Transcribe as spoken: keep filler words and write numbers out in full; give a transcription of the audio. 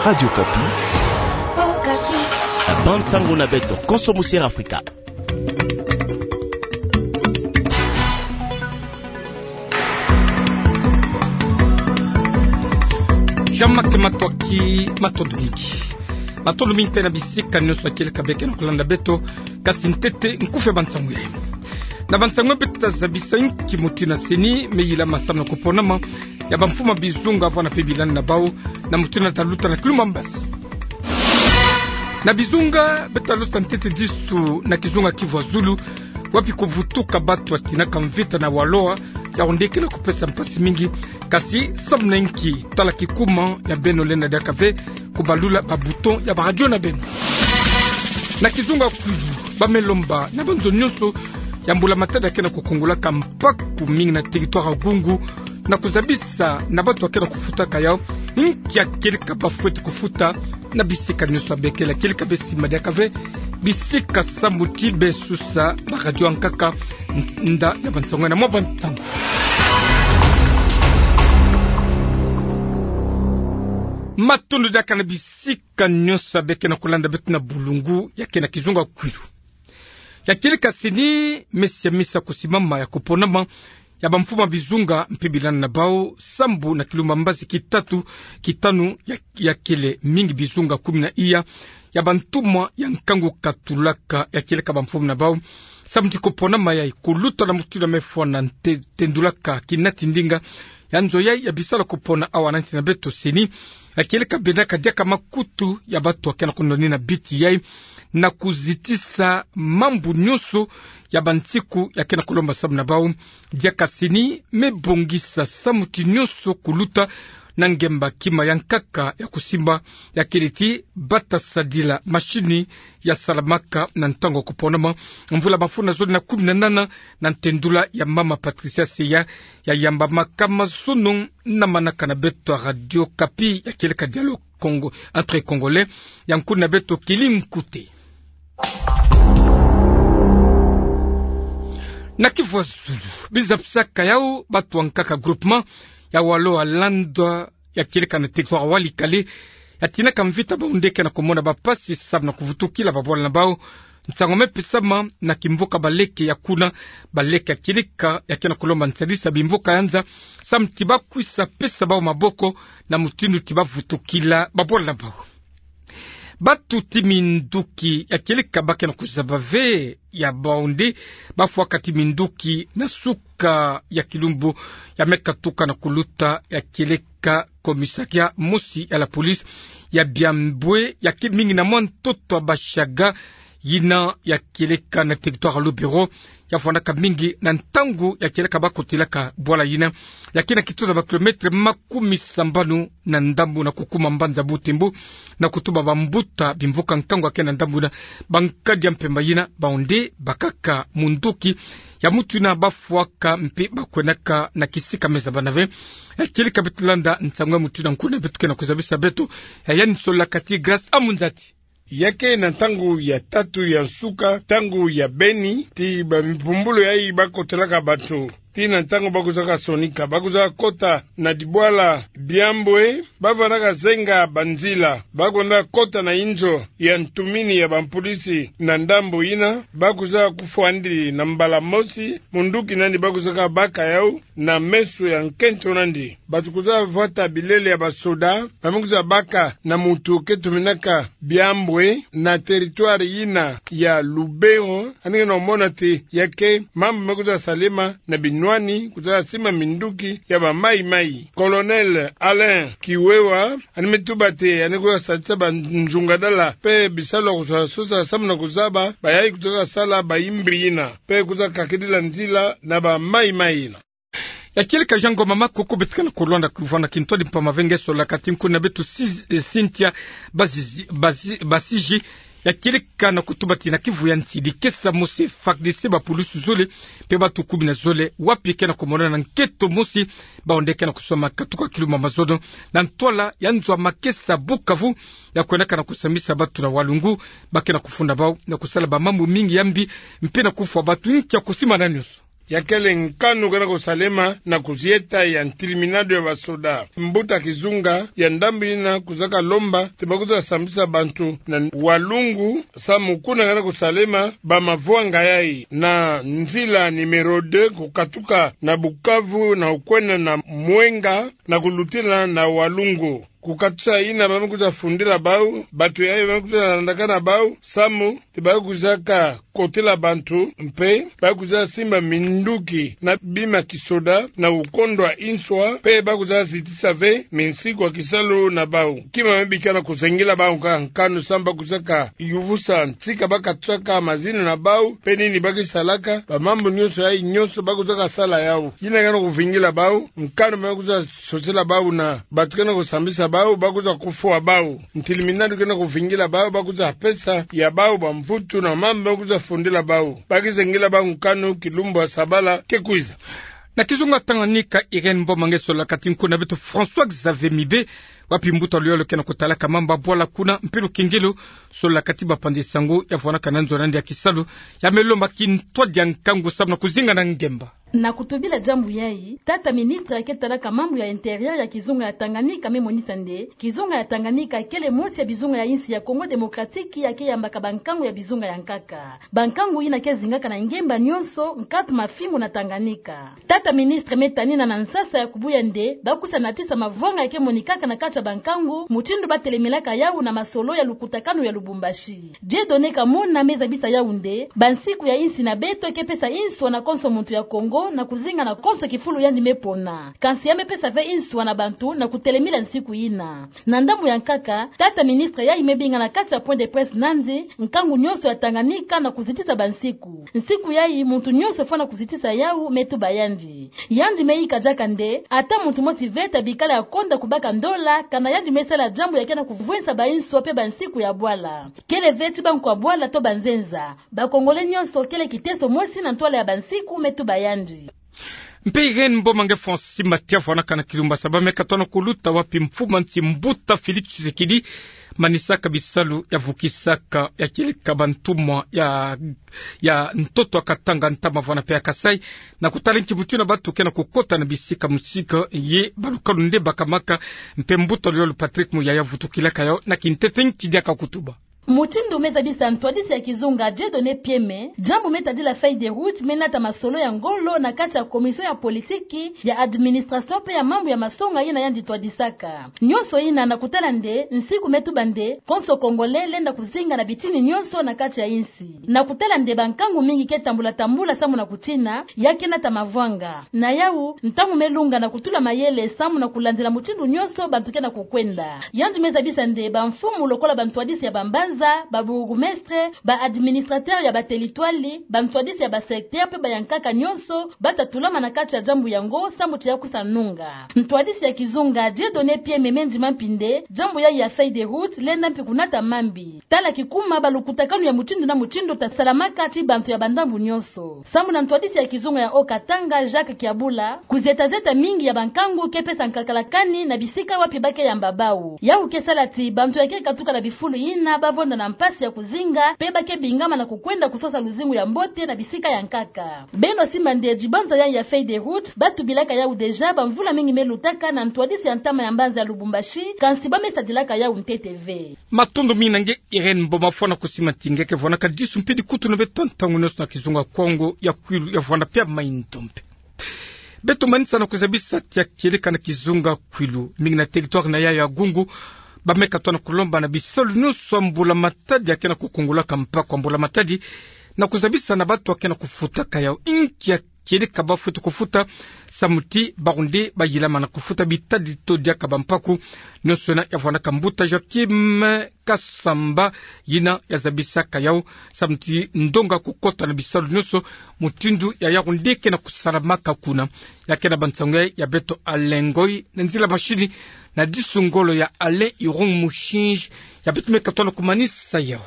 Radio Okapi. Bande sango na beto konso musiere Afrika. Jean-Marc Matsoua, matondo mingi. Matondo mingi mpe na bisika nyonso ya kieleka beke na kolanda beto, kasi ntete nkufi ya bansango yayi. Na bansango beto ta zabisa inki mutindu CENI me yilama samu na koponama ya bamfumu ya bizunga vwanda mpe bilandi na bau, na mutindu ta luta na Kilumba Mbazi. Na bizunga, beto ta luta ntete disu na kizunga Kivu ya Zulu, wapi kuvutuka batu ya tinaka mvita na Waloa, yawu nde ke na kupesa mpasi mingi, kasi samu na inki? Tala kikuma ya beno lenda diaka ve kubalula ba bouton ya ba radio na beno. Na kizunga Kwilu, ba me lomba na banzo nyonso ya mbula matadi ya ke na kukongolaka mpaku mingi na territoire ya Gungu, na kuzabisa na batu ya ke na kufutaka yawu, inki ya kieleka ba fweti kufuta na bisika nyonso ya bekele. Ya kieleka be sima diaka ve bisika sambu ti be susa ba radio ya nkaka. Nda ya bansango na mwa bansango. Matondo diaka na bisika nyonso ya beke na kolanda beto na bulungu ya ke na kizunga Kwilu. Ya kieleka CENI me siamisa kusimama ya koponama ya bamfumu ya bizunga mpe bilandi na bau sambu na Kilumba Mbazi, kitatu, kitanu ya, ya kele mingi bizunga kumi na iya ya bantumwa ya nkangu katulaka ya kieleka bamfumu na bau samu ti koponama yayi kuluta na mutindu ya me fwana nte-, tendulaka kinati ndinga ya nzo yayi ya bisalu ya kopona awa na nsi na beto CENI. Ya kieleka bendaka diaka makutu ya batu ya ke na kundoni na biti yayi, na kuzitisa mambu nyonso ya bansiku ya ke na kulomba samu na bau. Diaka CENI me bongisa samu ti nyonso kuluta na ngemba kima ya nkaka ya kusimba, ya kele ti bata sadila mashini ya salamaka na ntangu ya koponama, mvula mafunda zole na kumi na nana, na ntendula ya mama Patricia Seya, ya yamba makama zono na manaka na beto ya Radio Okapi ya kieleka Dialogue Congo, entre Congolais, ya nkuna na beto Kelly Mkute. Na Kivu ya Zulu, biza pisaka yawu batu ya nkaka groupement ya Waloa Landa ya kieleka na territoire ya Walikale, ya tinaka mvita, bawu nde ke na kumona bampasi samu na kuvutukila babwala na bau. Nsangu me pesama na kimvuka Baleke ya kuna, Baleke ya kieleka ya ke na kulomba nsadisa bimvuka ya nza samu ti bakwisa pesa bau maboko na mutindu ti bavutukila babwala na bau. Batu ti minduki ya kieleka ba ke na kuzaba ve ya bau nde bafwaka ti minduki na suka ya kilumbu ya me katuka na kuluta ya kieleka commissariat mosi ya la police ya Biambwe, ya ke mingi na mwa ntoto ya Bashaga, yina ya kieleka na territoire ya Lubero, ya fwanaka mingi na ntangu ya kieleka ba kotelaka bwala yina, ya ke na kituza ba kilomètre makumi sambanu na ndambu na kukuma mbanza Butembo, na kutuba bambuta bimvuka nkangu ya ke na ndambu na bankadi ya mpemba yina, bau nde bakaka munduki ya mutu yina bafwaka mpe bakwenaka na kisika me zabana ve. Ya kieleka beto landa nsangu ya mutu yina, nkuna beto ke na kuzabisa beto, ya yani Sola Kati Grâce Amunzati. Ya ke na ntangu ya tatu ya nsuka, ntangu ya beni, ti bampumbulu yayi ba kotelaka batu. Ti na ntangu ba kwizaka sonika, ba kwiza kota na dibwala Biambwe, ba vandaka zenga banzila, ba kwenda kota na inzo ya ntumini ya bampolisi na ndambu yina, ba kwiza kufwandi na mbala mosi munduki nandi ba kwizaka baka yawu na meso ya nkento nandi. Batu kwiza vwata bilele ya basoda, ba me kwiza baka na mutu ke tuminaka Biambwe na territoire yina ya Lubero, yandi ke na mona ti ya ke mambu me kwiza salema na binwani, kwiza simba minduki ya ba maimai. Colonel Alain Kiwewa, yandi me tuba ti yandi kwiza sadisa banzungadala mpe bisalu ya kwiza sosa samu na kuzaba bayayi kwiza sala bayimbiri yina, mpe kwiza kakidila nzila na ba maimai yina. Ya kieleka Jean Ngoma Makoko, beto ke na kulonda kuvana kintwadi mpamba ve nge Sola Kati, nkuna beto Sis-, eh, Cynthia Bazizi-, Bazi-, Basiji, ya kieleka na kutuba ti na Kivu ya Ntidi, kesa mosi FARDC, bapulusu zole mpe batu kumi na zole, wapi ke na kumonana na nkento mosi, bau nde ke na kusoma katuka kilumbu mazono na ntwala ya nzo ya makesa Bukavu, ya kwendaka na kusambisa batu na Walungu, ba ke na kufunda bau na kusala bamambu mingi ya mbi, mpe na kufwa batu. Nki ya kusimbana nyonso? Ya kele nkanu kena kusalema na kuzieta ya ntiliminadu ya basoda. Mbuta kizunga ya ndambu ina kuzaka lomba ti bakwiza sambisa bantu na Walungu, samu kuna kena kusalema bamavwanga yai na nzila numéro deux kukatuka na Bukavu na kukwenda na Mwenga na kulutila na Walungu. Kukatusa ina bamekwiza fundila bau, bantu yai bamekwiza landakana bau, samu ti bakwizaka kotela bantu, mpe bakwiza simba minduki na bima kisoda na kukondwa inswa, mpe bakwiza zitisa ve minsiku ya kisalu na bau. Kima me bikana kuzengela bau nkaka nkanu samu bakwizaka yuvusa ntika bakatusaka mazina na bau, mpe nini bakisalaka, bamambu nyonso yai nyonso bakwizaka sala yau. Ina kena kuvingila bau, nkanu me bakwiza sosela bau na bantu kena kusambisa bau, bakwiza kufwa bau. Ntiliminadu kena kuvingila bau, bakwiza pesa ya bau bamvutu na mambu bakwiza fundila bau. Bakizengela bau nkanu kilumbu ya sabala kekwiza. Na kizunga Tanganyika, Irène Mboma nge solaka ti nkuna beto François Xavier Mibe, wapi mbuta luyolo kena kutalaka mambu ya bwala kuna mpe lukengelo, solaka ti bapanzi sango ya vwanakana nzo na yandi ya kisalu, ya me lomba kintwadi ya nkangu samu na kuzinga na ngemba. Na kutubila diambu yai, tata ministre ya ke talaka mambu ya intérieur ya kizunga ya Tanganyika me monisa nde, kizunga ya Tanganyika kele mosi ya bizunga ya insi ya Congo Démocratique ya ke yambaka bankangu ya bizunga ya nkaka. Bankangu ina ke zingaka na ngemba nyonso, nkatu, mafimbu na Tanganyika. Tata ministre me tanina na nsasa ya kubuya nde, bakwiza natisa mavwanga ya ke monikaka na kati ya bankangu, mutindu batelemelaka yau na masolo ya lukutakanu ya Lubumbashi. Dieudonné Kamona me zabisa yau nde, bansiku ya insi na beto ke pesa inswa na konso muntu ya Congo na kuzinga na konso kifulu yandi me pona. Kansi ya me pesa ve inswa na bantu na kutelemila nsiku ina. Na ndambu ya nkaka, tata ministre yai me binga na kati ya point de presse nandi, nkangu nyonso ya Tanganyika na kuzitisa bansiku. Nsiku yai muntu nyonso fwana kuzitisa yau, me tuba yandi. Yandi me yika diaka nde, ata muntu mosi ve ta bikala ya konda kubaka ndola, kana yandi me sala diambu ya kena kuvwensa bainswa mpe bansiku ya bwala. Kele ve ti bankwa bwala to banzenza. Ba Congolais nyonso kele kiteso mosi na ntwala ya bansiku, me tuba yandi. Mpe Irène Mboma nge Francis Mathias vwanakana kilumbu ya sabala me katona kuluta wapi mfumu a nsi mbuta Félix Tshisekedi manisaka bisalu ya vukisaka ya kieleka bantumwa ya, ya ntoto ya Katanga, Ntama vwana mpe ya Kasaï, na kutala nki mutindu na bantu kena kukota na bisika mosika ye balukalu nde bakamaka, mpe mbuta luyolo Patrick Muyaya vutukilaka yau na kintete nki diaka kutuba. Mutindu me zabisa ntwadisi ya kizunga Dieudonné Pieme, diambu me tadila feuille de route me nata masolo ya ngolo na kati ya commission ya politiki, ya administration mpe ya mambu ya masonga ina yandi twadisaka. Nyonso ina na kutala nde, nsiku me tuba nde, konso Congolais lenda kuzinga na bitini nyonso na kati ya insi. Na kutala nde bankangu mingi ke tambula tambula samu na kutina, ya ke nata mavwanga. Na yau, ntangu me lunga na kutula mayele samu na kulandila mutindu nyonso bantu kena kukwenda. Yandi me zabisa nde bamfumu lokola bantwadisi ya bambanza, ba bourgmestre, ba administrateur ya ba territoire, bantwadisi ya ba secteur mpe bayankaka nyonso, bata tulama na kati ya diambu yango samu ti ya kwisa nunga. Ntwadisi ya kizunga Dieudonné Pieme me ndima mpi nde, diambu yai ya feuille de route lenda mpi kunata mambi. Tala kikuma balukutakanu ya mutindu na mutindu ta salamaka ti bantu ya bandambu nyonso. Samu na ntwadisi ya kizunga ya Haut-Katanga Jacques Kiabula, kuzieta zieta mingi ya bankangu ke pesa nkakala kani na bisika wapi ba ke yamba bau. Yau ke sala ti bantu ya ke katuka na bifulu ina ba vonda na mpasi ya kuzinga, mpe ba ke bingama na kukwenda kusosa luzingu ya mbote na bisika ya nkaka. Beno simba nde dibanza yai ya feuille de route, ba tubilaka yau déjà bamvula mingi me lutaka na ntwadisi ya ntama ya mbanza ya Lubumbashi, kansi ba me sadilaka yau ntete ve. Matondo mingi na nge Irène Mboma, fwana kusimanti nge ke vwanaka disu mpe dikutu na beto ntangu nyonso na kizunga Kongo ya Kwilu, ya Vwanda mpe ya Mai-Ndombe. Beto manisa na kuzabisa ti ya kieleka na kizunga Kwilu, mingi na territoire na yayo ya Gungu, ba me katona kulomba na bisalu nyonso ya mbula-matadi ya kena kukungulaka mpaku ya mbula-matadi, na kuzabisa na bantu ya kena kufutaka yau, inki ya kieleka ba fwete kufuta, samu ti bawu nde ba yilama na kufuta bitadi to diaka bampaku. Nyonso yina ya vwanaka mbuta Joachim Kasamba, yina ya zabisaka yau, samu ti ndonga kukota na bisalu nyonso, mutindu ya yawu nde kena kusalamaka kuna. Ya kena bansangu ya beto Alain Ngoy, na nzila machine, na disu ngolo ya Alain Irung Mushinji, ya beto me katona kumanisa yau.